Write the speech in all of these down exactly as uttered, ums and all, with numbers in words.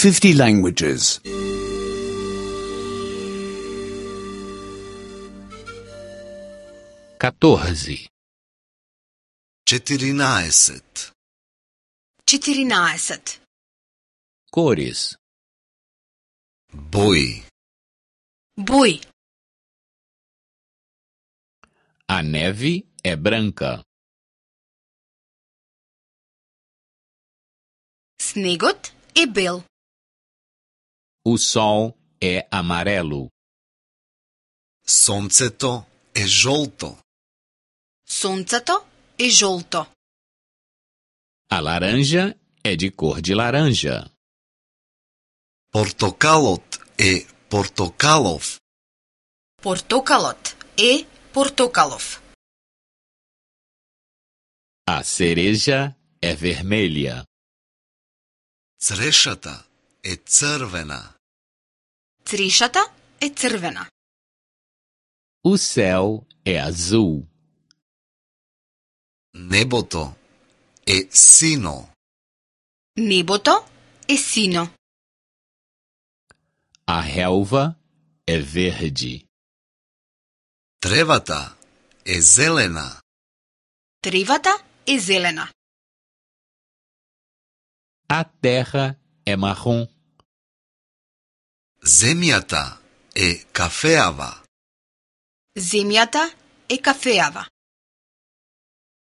fifty languages. catorze, четиринаесет, четиринаесет, cores, бои, бои. a neve é branca, Снегот е бел. o sol é amarelo, сонцето е жолто, Сонцето е жолто. a laranja é de cor de laranja, портокалот е портокалов, Портокалот е портокалов. a cereja é vermelha, црешата е црвена, Црешата е црвена. o céu é azul, небото е сино, Небото е сино. a relva é verde, тревата е зелена, Тревата е зелена. a terra é marrom, земјата е кафеава, Земјата е кафеава.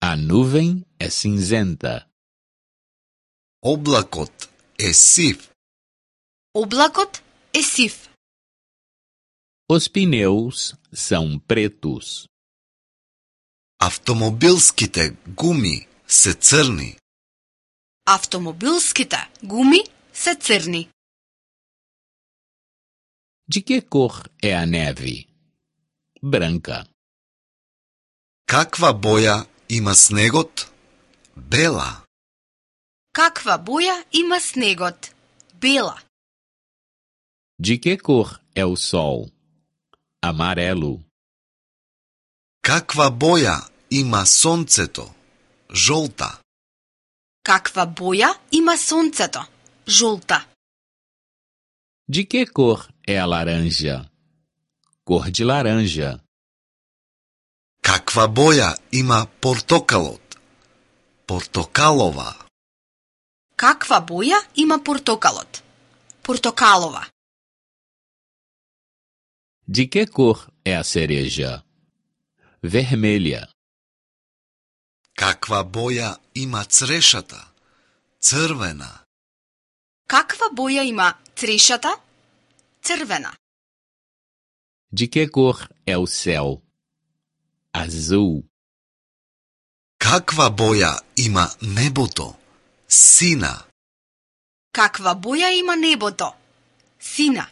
a nuvem é cinzenta, облакот е сив, Облакот е сив. os pneus são pretos, автомобилските гуми се црни, Автомобилските гуми се црни. de que cor é a neve? Branca. каква боја има снегот? Бела. Каква боја има снегот? Бела. De que cor é o sol? Amarelo. Каква боја има сонцето? Жолта. Каква боја има сонцето? Жолта. De que cor é a laranja? Cor de laranja. Каква боја има портокалот? Портокалова. Каква боја има портокалот? Портокалова. De que cor é a cereja? Vermelha. Каква боја има црешата? Црвена. Каква боја има црешата? Црвена. De que cor é o céu? Azul. Каква боја има небото? Сина. Каква боја има небото? Сина.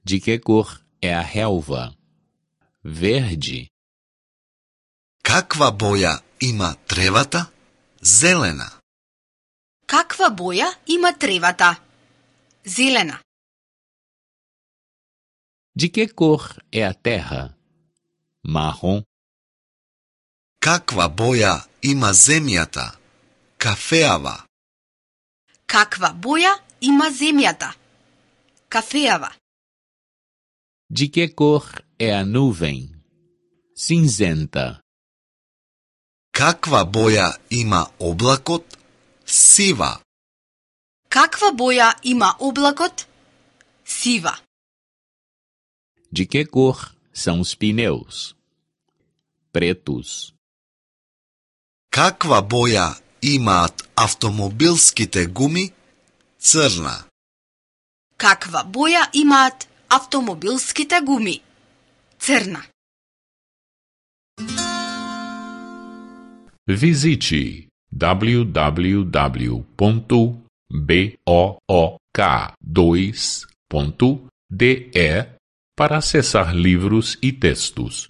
De que cor é a relva? Verde. Каква боја има тревата? Зелена. Каква боја има тревата? Зелена. De que cor é a terra? Marrom. Каква боја има земјата? Кафеава. Каква боја има земјата? Кафеава. De que cor é a nuvem? Cinzenta. Каква боја има облакот? Сива. Каква боја има облакот? Сива. De que cor são os pneus? Pretos. Каква боја имаат автомобилските гуми? Црна. Каква боја имаат автомобилските гуми? Црна. Visite w w w ponto book dois ponto d e para acessar livros e textos.